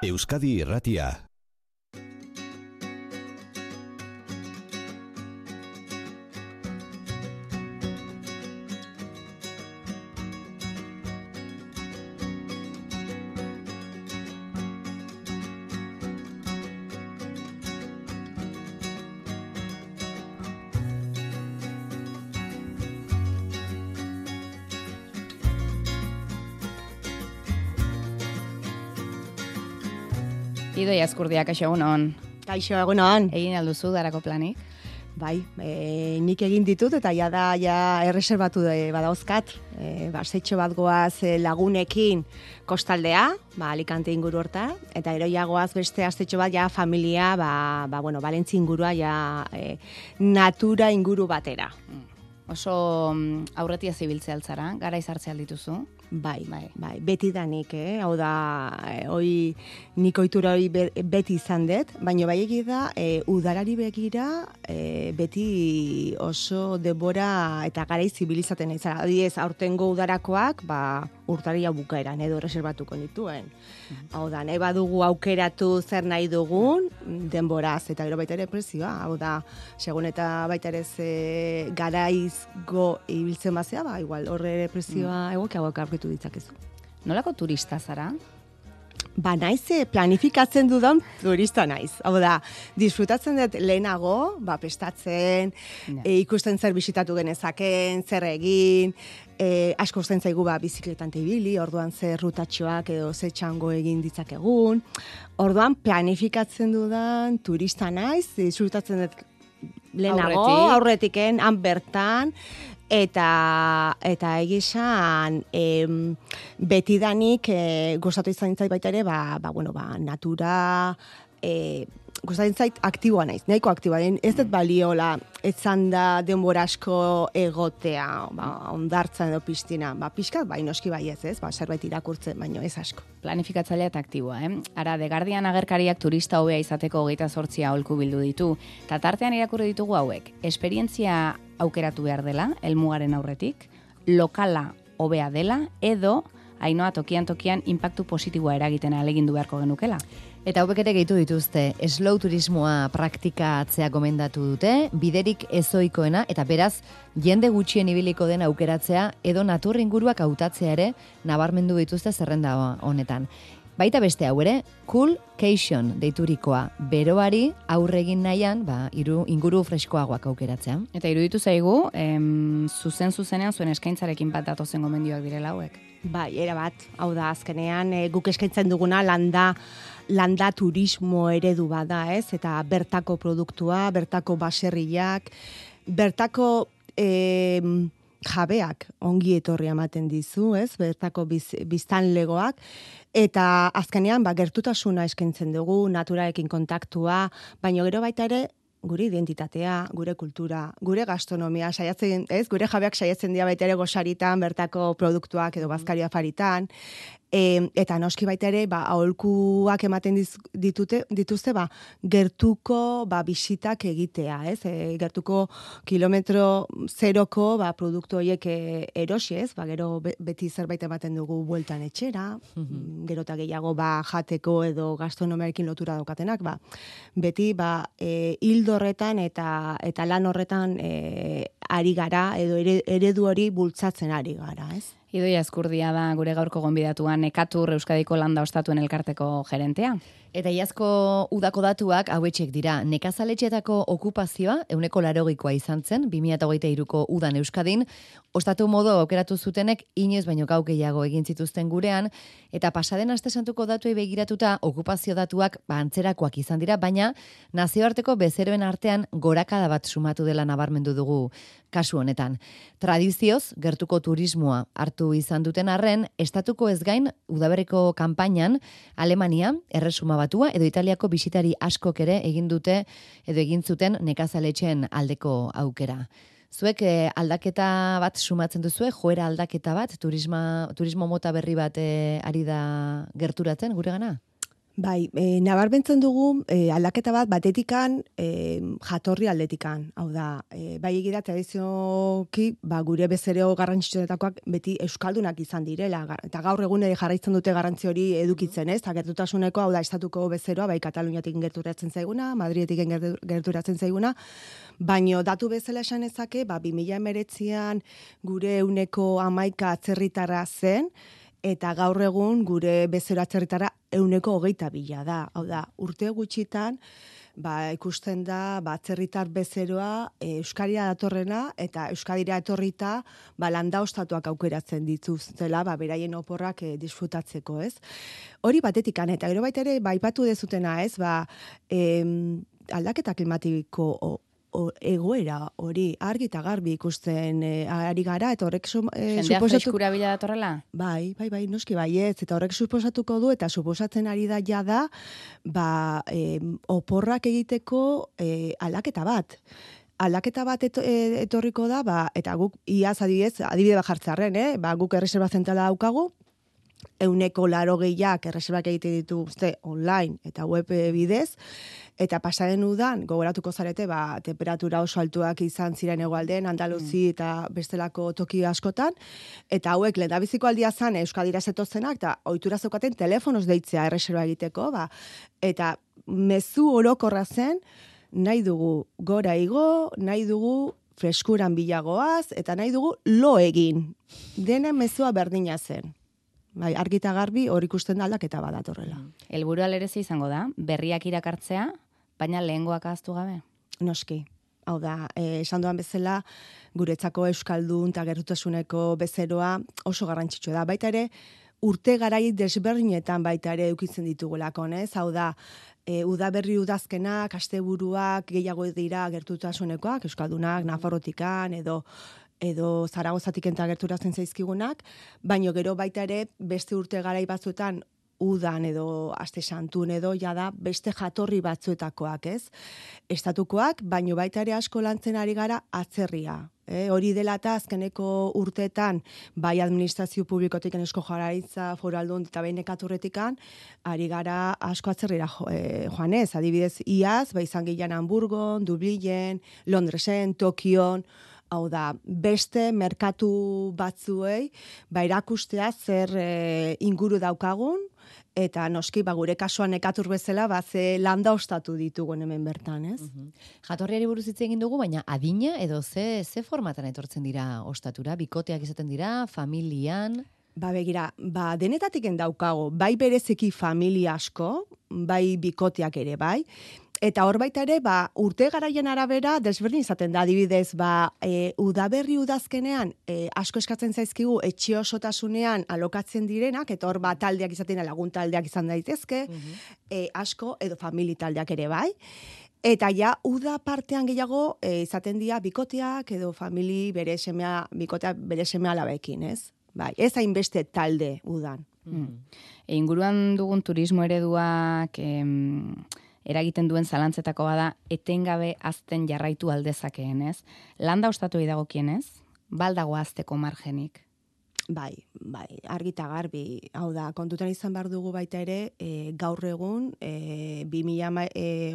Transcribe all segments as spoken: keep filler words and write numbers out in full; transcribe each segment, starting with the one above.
Euskadi Irratia. Idoia Azkurdia, kaixo egunon. Kaixo egunon. Egin alduzu darako planik? Bai, e, nik egin ditut eta ja da ja erreserbatu badauzkat. E, Basetxo bat goaz lagunekin kostaldea, ba, Alicante inguru horta, eta gero ja goaz beste astetxo bat ja familia, ba, ba, bueno, Valentzi ingurua ja e, natura inguru batera. Oso aurretia zibiltzea altzara, gara izartzea dituzu? Bai, bai, bai, beti da nik, eh? Hau da, eh, oi, nik ohitura hori be, beti izan dut, baina bai egi da, eh, udarari begira, eh, beti oso denbora eta garai zibilizaten naiz. Adibidez, aurtengo udarakoak, ba, urtaria bukaeran edo reserbatuko nituen. Mm-hmm. Hau da, nahi badugu aukeratu zer nahi dugun, denboraz, eta gero baita ere prezioa. Hau da, segun eta baita ere ze garaizgo ibiltzen bazea, ba, igual, horre ere prezioa mm. egokiagoak aurkitu ditzakezu. Nolako turista zara? Ba, naiz, planifikatzen dudan turista naiz. Hau da, disfrutatzen dut lehenago, ba, prestatzen, yeah. e, ikusten zer bisitatu genezaken, zer egin, e, asko usten zaigu ba, bizikletan ibili, orduan zer rutatxoak edo ze txango egin ditzakegun. Orduan, planifikatzen dudan turista naiz, disfrutatzen dut lehenago, Aurretik. aurretiken, han bertan, eta eta egizan em, betidanik e, gustatu izan zait baita ere, ba, ba, bueno, ba, natura e, gustatzen zait aktiboa naiz, nahiko aktiboa, ez dut baliola, etzan da denbora asko egotea, ba, ondartzan edo piztina, ba, pixkat, bai, noski bai ez, ez, ba, zerbait irakurtzen, baino ez asko. Planifikatzailea eta aktiboa, eh? Ara, The Guardian agerkariak turista hobea izateko hogeita zortzia aholku bildu ditu, eta tartean irakurri ditugu hauek, esperientzia aukeratu behar dela, helmugaren aurretik, lokala hobea dela, edo, Ainoa tokian tokian inpaktu positiboa eragiten ahalegindu beharko genukela. Eta hauek ere gehitu dituzte, slow turismoa praktikatzea gomendatu dute, biderik ezoikoena, eta beraz, jende gutxien ibiliko den aukeratzea, edo natur inguruak hautatzea ere, nabarmendu dituzte zerrenda honetan. Baita beste hau ere, coolcation deiturikoa, beroari aurregin nahian, ba, iru, inguru freskoagoak aukeratzea. Eta iruditu zaigu, em, zuzen zuzenean zuen eskaintzarekin bat datozen gomendioak direla hauek. Bai, era bat, hau da, azkenean e, guk eskaintzen duguna landa, landa turismo eredu bada, ez? Eta bertako produktua, bertako baserriak, bertako e, jabeak ongi etorri ematen dizu, ez? Bertako biz, biztanlegoak, eta azkenean ba, gertutasuna eskaintzen dugu, naturarekin kontaktua, baina gero baita ere, gure identitatea, gure kultura, gure gastronomia, saiatzen, ez? Gure jabeak saiatzen dira baita ere gosaritan, bertako produktuak edo bazkari afaritan, e, eta noski baita ere, ba, aholkuak ematen diz, ditute, dituzte, ba, gertuko ba, bisitak egitea, ez? E, gertuko kilometro zeroko ba, produktu horiek e, erosi, ez? Ba, gero be, beti zerbait ematen dugu bueltan etxera, mm-hmm. gero eta gehiago ba, jateko edo gastronomiarekin lotura daukatenak, ba, beti ba, e, hildo horretan eta eta lan horretan e, ari gara edo eredu hori bultzatzen ari gara, ez? Idoia Azkurdia da gure gaurko gonbidatuan Ekatur Euskadiko Landa Ostatuen elkarteko gerentea. Eta iazko udako datuak hauetxek dira. Nekazaletxeetako okupazioa ehuneko laurogikoa izan zen, bi mila hogeita hiruko udan Euskadin, ostatu modo aukeratu zutenek inoiz baino gau gehiago egin zituzten gurean, eta pasaden aste santuko datuei begiratuta okupazio datuak ba, antzerakoak izan dira, baina nazioarteko bezeroen artean gorakada bat sumatu dela nabarmendu dugu kasu honetan. Tradizioz, gertuko turismoa hartu izan duten arren, estatuko ez gain, udaberriko kanpainan, Alemania, Erresuma Batua, edo Italiako bisitari askok ere egin dute, edo egin zuten nekazaletxeen aldeko aukera. Zuek eh, aldaketa bat sumatzen duzue, joera aldaketa bat, turisma, turismo mota berri bat eh, ari da gerturatzen gure gana? Bai, e, nabarmentzen dugu e, aldaketa bat batetikan e, jatorri aldetikan. Hau da, e, bai egira tradizioki ba, gure bezereo garrantzitsuenetakoak beti euskaldunak izan direla. Eta gaur egun ere jarraitzen dute garrantzi hori edukitzen, ez? Gertutasuneko, hau da, estatuko bezeroa, bai Kataluniatik gerturatzen zaiguna, Madridetik gerturatzen zaiguna, baino datu bezala esan ezake, ba, bi mila hemeretzian gure euneko hamaika atzerritarra zen, eta gaur egun gure bezero atzerritara euneko hogeita bila da. Hau da, urte gutxitan, ba, ikusten da, ba, atzerritar bezeroa e, Euskadira datorrena, eta Euskadira etorrita, ba, landa ostatuak aukeratzen dituztela, ba, beraien oporrak e, disfrutatzeko, ez? Hori batetikan, eta gero baita ere, ba, ipatu dezutena, ez? Ba, em, aldaketa klimatiko o, O, egoera hori argi eta garbi ikusten e, ari gara, eta horrek su, e, jendea freskura bila datorrela? Bai, bai, bai, noski baietz, eta horrek suposatuko du, eta suposatzen ari da jada, ba, e, oporrak egiteko e, aldaketa bat. Aldaketa bat eto, e, etorriko da, ba, eta guk iaz adibidez, adibide bat jartzarren, eh? Ba, guk erreserba zentrala daukagu, euneko laro gehiak erreserbak egite ditu uste online eta web bidez, eta pasaren udan, gogoratuko zarete, ba, temperatura oso altuak izan ziren hegoaldean, Andaluzi eta bestelako toki askotan, eta hauek lehendabiziko aldia zan Euskadira zetozenak, eta ohitura zeukaten telefonoz deitzea erreserba egiteko, ba, eta mezu orokorra zen, nahi dugu gora igo, nahi dugu freskuran bilagoaz, eta nahi dugu lo egin. Denen mezua berdina zen. Bai, argita garbi hor ikusten da aldaketa badatorrela. Helburua lerezi izango da, berriak irakartzea, baina lehengoak ahaztu gabe. Noski. Hau da, eh, esan duan bezala, guretzako euskaldun eta gertutasuneko bezeroa oso garrantzitsua da. Baita ere, urte garai desberdinetan baita ere eukitzen ditugulako, ez? Hau da, e, udaberri udazkenak, asteburuak gehiago dira gertutasunekoak, euskaldunak, Nafarrotikan, edo edo Zaragozatik enta gerturatzen zaizkigunak, baino gero baita ere beste urte garai batzuetan udan edo aste santun edo jada beste jatorri batzuetakoak, ez? Estatukoak, baino baita ere asko lantzen ari gara atzerria. E, hori dela eta azkeneko urteetan, bai administrazio publikotik esko Jaurlaritza, Foru Aldun eta behin ekaturretikan, ari gara asko atzerrira jo, e, joanez, adibidez iaz, bai izan gehian Hamburgon, Dublinen, Londresen, Tokion, hau da, beste merkatu batzuei, ba erakustea zer e, inguru daukagun, eta noski, ba, gure kasuan ekatur bezala, ba, ze landa ostatu ditugun hemen bertan, ez? Uh-huh. Jatorriari buruz hitz egin dugu, baina adina edo ze, ze formatan etortzen dira ostatura? Bikoteak izaten dira, familian? Ba, begira, ba, denetatik daukago, bai berezeki familia asko, bai bikoteak ere, bai, eta hor baita ere, ba, urte garaien arabera, desberdin izaten da, adibidez, ba, e, udaberri udazkenean, e, asko eskatzen zaizkigu, etxe osotasunean alokatzen direnak, eta hor ba, taldeak izaten, lagun taldeak izan daitezke, uh-huh. e, asko, edo famili taldeak ere bai, eta ja, uda partean gehiago, e, izaten dira bikoteak, edo famili bere semea, bikotea bere semea alabekin, ez? Bai, ez hainbeste talde udan. Mm. E, inguruan dugun turismo ereduak em, eragiten duen zalantzetako bada etengabe azten jarraitu aldezakeen, ez? Landa ostatu dagokienez, baldago azteko margenik. Bai, bai, argita garbi, hau da, kontutan izan behar dugu baita ere, e, gaur egun, e, bi mila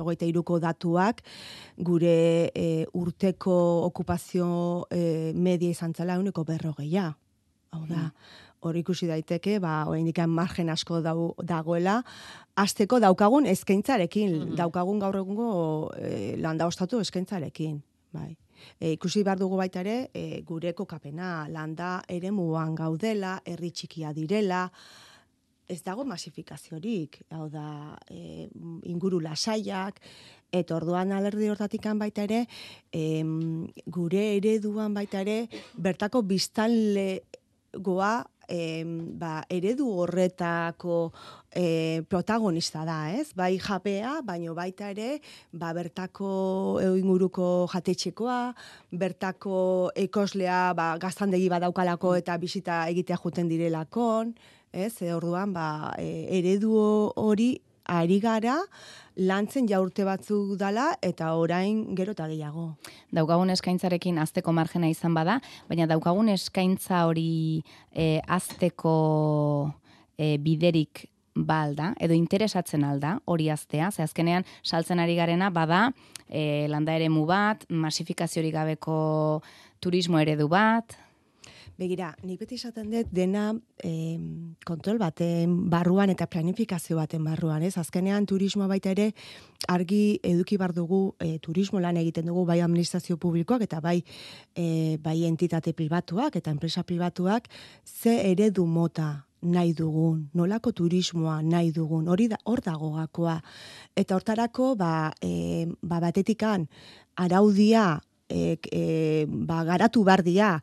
hogeita hiruko datuak, gure e, urteko okupazio e, media izan zela uneko berrogeia. Hau da, hor ikusi daiteke, ba, oraindik margen asko dau, dagoela, hasteko daukagun eskaintzarekin, mm-hmm. daukagun gaur egungo e, landa ostatu eskaintzarekin, bai. E, ikusi behar dugu baita ere, e, gure kokapena, landa eremuan gaudela, herri txikia direla, ez dago masifikaziorik, hau da, e, inguru lasaiak, eta orduan alerdi hortatikan baita ere, e, gure ereduan baita ere, bertako biztanle goa e, ba, eredu horretako e, protagonista da, ez? Bai japea, baino baita ere, ba, bertako inguruko jatetxekoa, bertako ekoslea ba, gaztandegi badaukalako eta bisita egitea juten direlakon, ez? E, orduan, ba, e, eredu hori ari gara, lantzen ja urte batzuk dala, eta orain gero eta gehiago. Daukagun eskaintzarekin azteko margena izan bada, baina daukagun eskaintza hori e, azteko e, biderik ba alda, edo interesatzen alda hori aztea, ze azkenean saltzen ari garena bada e, landa eremu bat, masifikaziorik gabeko turismo eredu bat. Begira, nik beti esaten dut dena eh, kontrol baten barruan eta planifikazio baten barruan, ez? Azkenean turismoa baita ere argi eduki bar dugu eh, turismo lan egiten dugu bai administrazio publikoak eta bai eh, bai entitate pribatuak eta enpresa pribatuak ze eredu mota nahi dugun, nolako turismoa nahi dugun, hori da, hor dago gakoa. Eta hortarako, ba, e, ba batetikan araudia e, e, ba, garatu bardia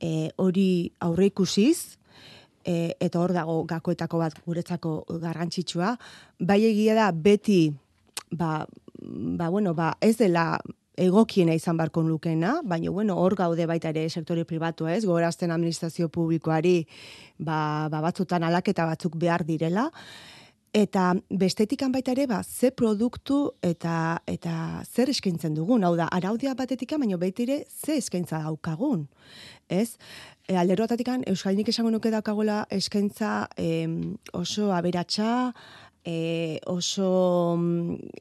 e, hori aurre ikusiz, e, eta hor dago gakoetako bat guretzako garrantzitsua, bai egia da beti, ba, ba, bueno, ba, ez dela egokiena izan barko lukena, baina bueno, hor gaude baita ere sektore pribatua, ez? Gogorazten administrazio publikoari ba, ba batzutan alaketa batzuk behar direla. Eta bestetikan baita ere, ba, ze produktu eta eta zer eskaintzen dugun. Hau da, araudia batetikan, baina baita ere ze eskaintza daukagun. Ez? E, alderotatikan, Euskalinik esango nuke daukagola eskaintza em, oso aberatsa, E, oso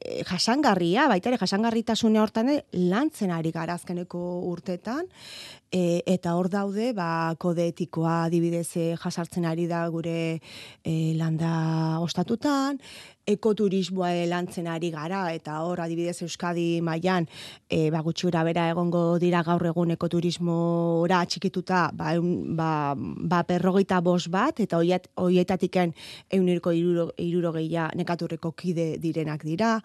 e, jasangarria, baita ere jasangarritasune hortan lantzen ari gara azkeneko urtetan, e, eta hor daude, ba, kode etikoa adibidez jasartzen ari da gure e, landa ostatutan, ekoturismoa lantzen ari gara, eta hor adibidez Euskadi mailan e, ba, gutxi gora bera egongo dira gaur egun ekoturismora atxikituta, ba, ba, ba berrogeita bost bat, eta hoietatiken ehuneko hirurogeia nekaturreko kide direnak dira.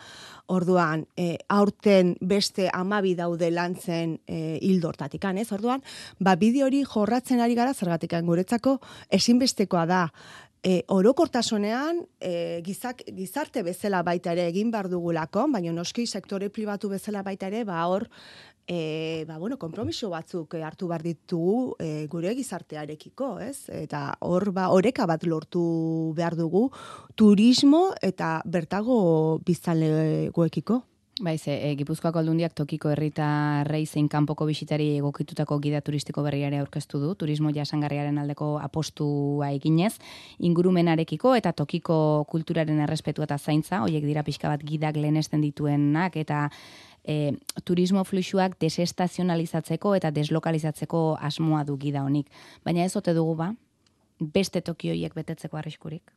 Orduan, e, aurten beste hamabi daude lantzen e, hildo hortatikan, ez? Orduan, ba, bideo hori jorratzen ari gara zergatikan guretzako ezinbestekoa da. E, orokortasunean e, gizak, gizarte bezala baita ere egin behar dugulako, baina noski sektore pribatu bezala baita ere, ba hor, e, ba bueno, konpromiso batzuk hartu behar ditugu e, gure gizartearekiko, ez? Eta hor, ba, oreka bat lortu behar dugu turismo eta bertago biztanlegoekiko. Baiz, e, Gipuzkoako Aldundiak tokiko herritarrei zein kanpoko bisitari egokitutako gida turistiko berriare aurkeztu du, turismo jasangarriaren aldeko apostua eginez, ingurumenarekiko eta tokiko kulturaren errespetua eta zaintza, hoiek dira pixka bat gidak lehenesten dituenak, eta e, turismo fluxuak desestazionalizatzeko eta deslokalizatzeko asmoa du gida honik. Baina ez ote dugu ba, beste toki hoiek betetzeko arriskurik?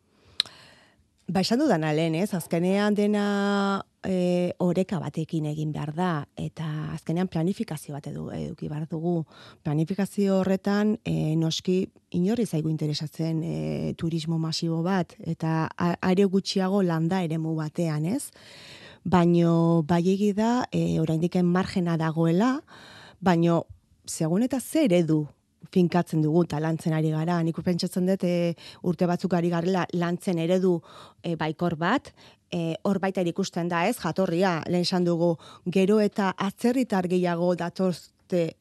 Ba, esan dudana lehen, ez? Azkenean dena e, oreka batekin egin behar da, eta azkenean planifikazio bat edu, eduki behar dugu. Planifikazio horretan, e, noski, inorri zaigu interesatzen e, turismo masibo bat, eta are gutxiago landa eremu batean, ez? Baino, bai egi da, e, oraindiken margena dagoela, baino, segun eta zer edu finkatzen dugu eta lantzen ari gara. Nik pentsatzen dut e, urte batzuk ari garela lantzen eredu e, baikor bat, e, hor baita ikusten da ez, jatorria, lehen esan dugu, gero eta atzerritar gehiago datorte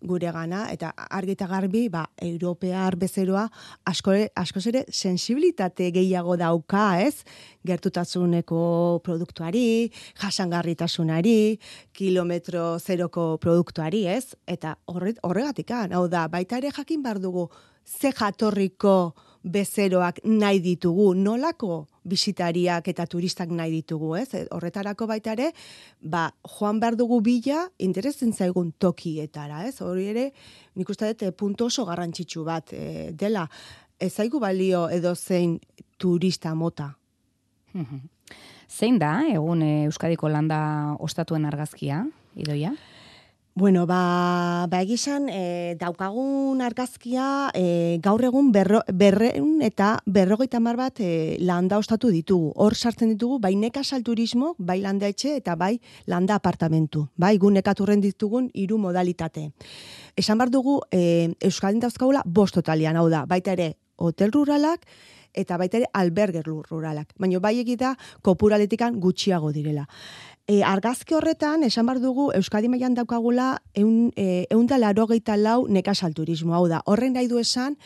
gure gana, eta argi eta garbi, ba, europear bezeroa asko, askoz ere sensibilitate gehiago dauka, ez? Gertutasuneko produktuari, jasangarritasunari, kilometro zeroko produktuari, ez? Eta horregatikan, hau da, baita ere jakin behar dugu ze jatorriko bezeroak nahi ditugu, nolako bisitariak eta turistak nahi ditugu, ez? Horretarako baita ere, ba, joan behar dugu bila interesen zaigun tokietara, ez? Hori ere, nik uste dut puntu oso garrantzitsu bat e, dela, ez zaigu balio edo zein turista mota. Zein da, egun Euskadiko landa ostatuen argazkia, Idoia? Bueno, ba, ba egizan, e, daukagun argazkia e, gaur egun berro, berreun eta berrogeita hamar bat e, landa ostatu ditugu. Hor sartzen ditugu, bai nekazal turismo, bai landa etxe eta bai landa apartamentu. Bai, gu nekaturren ditugun hiru modalitate. Esan behar dugu, e, Euskadin dauzkagula bost totalian, hau da, baita ere hotel ruralak, eta baita ere alberger ruralak. Baina bai egita kopuraletikan gutxiago direla. E, argazki horretan, esan behar dugu, Euskadi mailan daukagula eun, e, eun da larogeita lau nekazal turismo. Hau da, horren nahi du esan,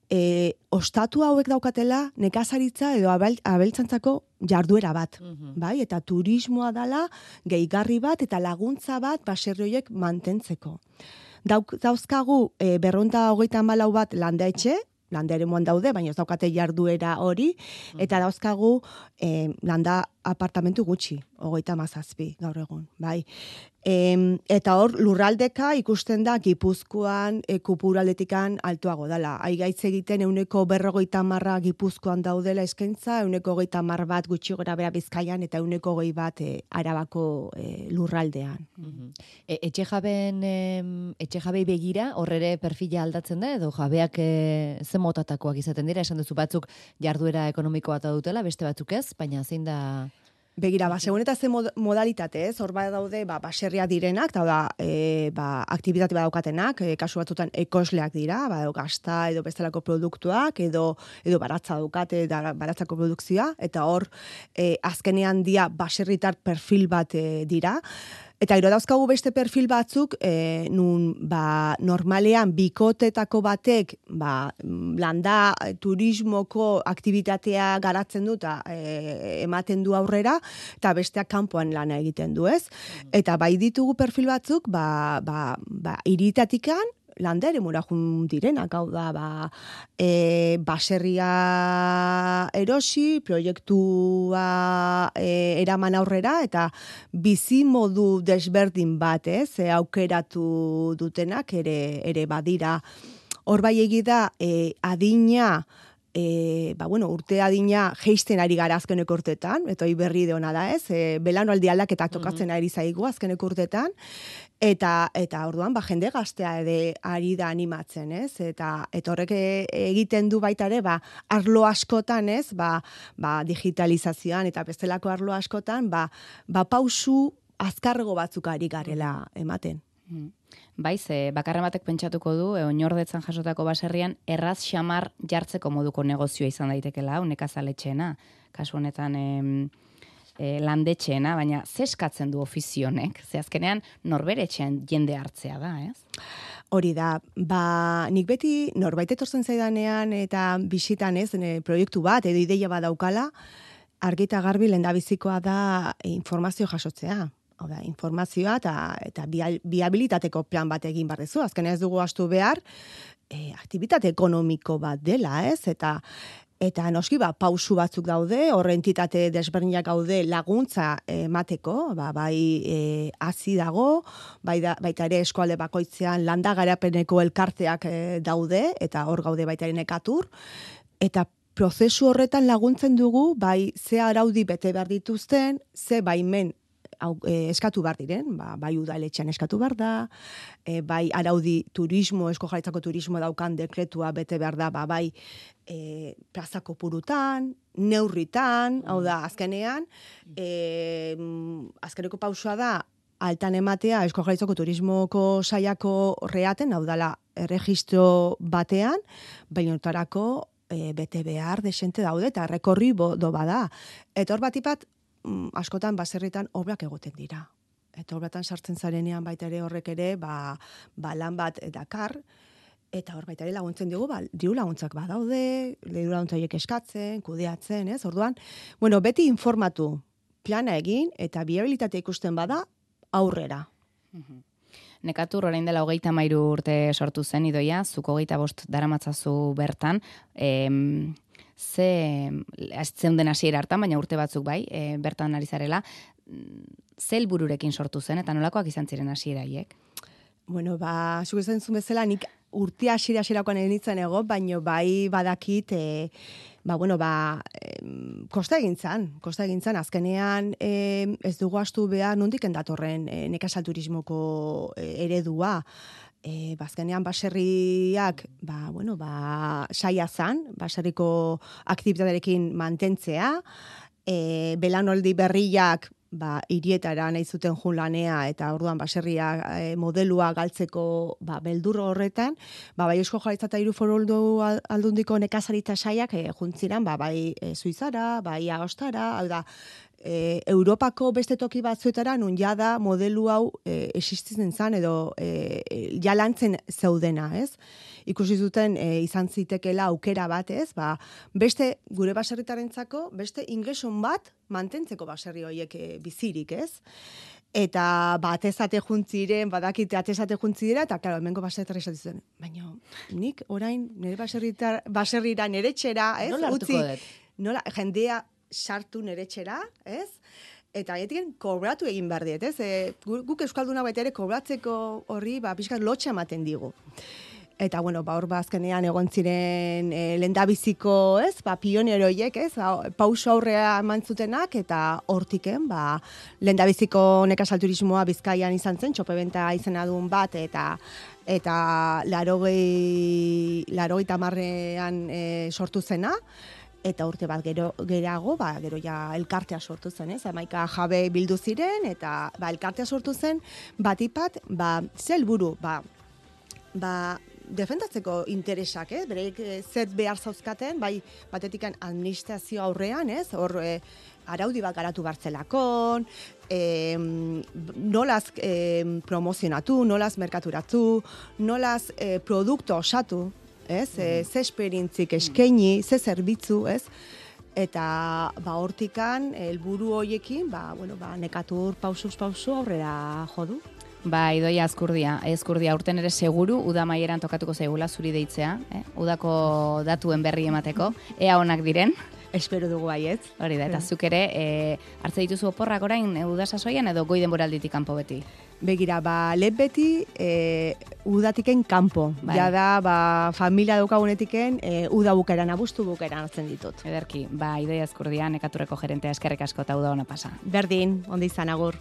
e, ostatu hauek daukatela nekazaritza edo abel, abeltzantzako jarduera bat. Mm-hmm. Bai? Eta turismoa dala gehigarri bat eta laguntza bat baserri horiek mantentzeko. Dauk, dauzkagu e, berronta hogeita hamalau bat landa etxe, landa eremuan daude, baina ez daukate jarduera hori, eta dauzkagu e, landa apartamentu gutxi, hogeita hamazazpi gaur egun, bai. E, eta hor, lurraldeka ikusten da Gipuzkoan, e, kupuraldetikan altuago dela. Aigaitz egiten euneko berrogeita marra Gipuzkoan daudela eskaintza, euneko hogeita mar bat gutxi gora bera Bizkaian, eta euneko hogei bat e, Arabako e, lurraldean. Mm-hmm. E, etxe jaben, etxe jabei begira, horrere perfila aldatzen da, edo jabeak e, ze motatakoak izaten dira, esan duzu batzuk jarduera ekonomikoa eta dutela, beste batzuk ez, baina zein da... Begira, ba, segun eta ze modalitate, ez, hor bat daude, ba, baserria direnak, eta da, e, ba, aktibitate badaukatenak, e, kasu batzutan ekosleak dira, ba, edo gazta, edo bestelako produktuak, edo, edo baratza daukate, da, baratzako produkzioa, eta hor, e, azkenean dia baserritar perfil bat e, dira. Eta gero dauzkagu beste perfil batzuk, e, nun ba, normalean bikotetako batek ba, landa turismoko aktibitatea garatzen du eta e, ematen du aurrera, eta besteak kanpoan lana egiten du, ez? Eta bai ditugu perfil batzuk, ba, ba, ba, iritatikan, landa ere murajun direnak, hau da, ba, e, baserria erosi, proiektua e, eraman aurrera, eta bizi modu desberdin bat, ez, e, aukeratu dutenak ere, ere badira. Hor bai egida, e, adina, E, ba, bueno, urte adina geisten ari gara azkeneko urtetan, eta hori berri de hona da, ez? E, Belanaldi aldaketak tokatzen ari zaigu azkeneko urtetan, eta eta orduan ba jende gaztea ere ari da animatzen, ez? Eta eta horrek egiten du baita ere, ba arlo askotan, ez? Ba, ba digitalizazioan eta bestelako arlo askotan, ba ba pausu azkarrego batzuk ari garela ematen. Baiz, e, bakarren batek pentsatuko du, e, oinordetzan jasotako baserrian, erraz xamar jartzeko moduko negozioa izan daitekela, nekazaletxeena, kasu honetan e, e, landetxeena, baina zeskatzen du ofizionek, ze azkenean norbere etxean jende hartzea da, ez? Hori da, ba, nik beti norbait etortzen zaidanean eta bisitan ez, ne, proiektu bat edo ideia bat daukala, argi eta garbi lehendabizikoa da informazio jasotzea. Hau da, informazioa eta, eta biabilitateko plan bat egin barrezu. Azken ez dugu astu behar, e, aktibitate ekonomiko bat dela, ez? Eta eta noski ba, pausu batzuk daude, horre entitate desberdinak gaude laguntza emateko, ba, bai e, hazi dago, bai da, baita ere eskualde bakoitzean landa garapeneko elkarteak e, daude, eta hor gaude baita ere nekatur, eta prozesu horretan laguntzen dugu, bai ze araudi bete behar dituzten, ze baimen Hau, e, eskatu behar diren, ba, bai udaletxean eskatu behar da, e, bai araudi turismo, Eusko Jaurlaritzako turismo daukan dekretua bete behar da, ba, bai e, plazako purutan, neurritan, hau da, azkenean, e, azkeneko pausua da, altan ematea Eusko Jaurlaritzako turismoko saiako reaten, hau dala, erregistro batean, bainotarako e, bete behar desente daude, eta rekorri do bada. Eta hor batipat, askotan baserritan obrak egoten dira. Eta obratan sartzen zarenean baita ere horrek ere, ba, ba lan bat dakar, eta hor baita ere laguntzen dugu, ba, diru laguntzak badaude, diru laguntzaiek eskatzen, kudeatzen, ez? Orduan, bueno, beti informatu, plana egin, eta biabilitatea ikusten bada, aurrera. Nekatur orain dela hogeita mairu urte sortu zen, Idoia, zuko hogeita bost daramatzazu bertan, em, ze, ez zeunden hasiera hartan, baina urte batzuk bai, e, bertan ari zarela, ze helbururekin sortu zen, eta nolakoak izan ziren hasieraiek? Bueno, ba, zuk esan zuen bezala, nik urte hasiera hasierakoan egin ego, baina bai badakit, e, ba, bueno, ba, e, kosta egin zan, kosta egin zan, azkenean e, ez dugu astu behar nondik endatorren e, nekazal turismoko e, eredua, E, bazkenean baserriak, ba, bueno, ba, saia zan, baserriko aktibitatearekin mantentzea, e, belanoldi berriak, ba, hirietara nahi zuten jun lanea, eta orduan baserria e, modelua galtzeko ba, beldur horretan, ba, bai Eusko Jaurlaritza eta hiru foru aldundiko nekazaritza saiak e, juntziran, ba, bai e, Suizara, bai Agostara, hau da, e, Europako beste toki batzuetara nun jada modelu hau e, existitzen zan edo e, ja lantzen zeudena, ez? Ikusi zuten e, izan zitekela aukera bat, ez? Ba, beste gure baserritarentzako beste ingreson bat mantentzeko baserri horiek e, bizirik, ez? Eta ba, atezate juntziren, badakite atezate juntzidera, eta, klaro, hemengo baserritar esatzen zuen. Baina, nik orain nire baserritar, baserrira nire txera, ez? Nola hartuko dut? Nola, jendea sartu nire txera, ez? Eta haietik kobratu egin behar diet, ez? E, guk euskalduna baita ere kobratzeko horri, ba, pixkat lotxa ematen digu. Eta, bueno, ba, hor bazkenean egon ziren e, lendabiziko, ez? Ba, pioneroiek, ez? Pauso aurrea eman zutenak, eta hortiken, ba, lendabiziko nekazal turismoa Bizkaian izan zen, txopebenta izena duen bat, eta eta larogei, larogei tamarrean e, sortu zena, eta urte bat gero gerago, ba, gero ja elkartea sortu zen, ez? Hamaika jabe bildu ziren, eta ba, elkartea sortu zen, batipat, ba, ze helburu, ba, ba, defendatzeko interesak, ez? Bereik zer behar zauzkaten, bai, batetikan administrazio aurrean, ez? Hor, e, araudi bat garatu bartzelakon, e, nolaz e, promozionatu, nolaz merkaturatu, nolaz e, produktu osatu, ez? E, ze esperientzik eskaini, ze zerbitzu, ez? Eta ba hortikan helburu hoiekin, ba bueno, ba nekatur pausuz pausu aurrera jo du. Ba, Idoia Azkurdia, Azkurdia urten ere seguru uda maieran tokatuko zaigula zuri deitzea, eh? Udako datuen berri emateko, ea onak diren. Espero dugu baietz. Hori da, eta zuk ere, e, hartze dituzu oporrak orain e, uda sasoian edo goi denboralditik kanpo beti? Begira, ba, lehen beti e, udatiken kanpo. Bai. Ja da, ba, familia daukagunetiken e, uda bukeran, abustu bukeran hartzen ditut. Ederki, ba, Idoia Azkurdia, nekaturreko gerentea eskerrik asko eta uda ona pasa. Berdin, ondo izan agur.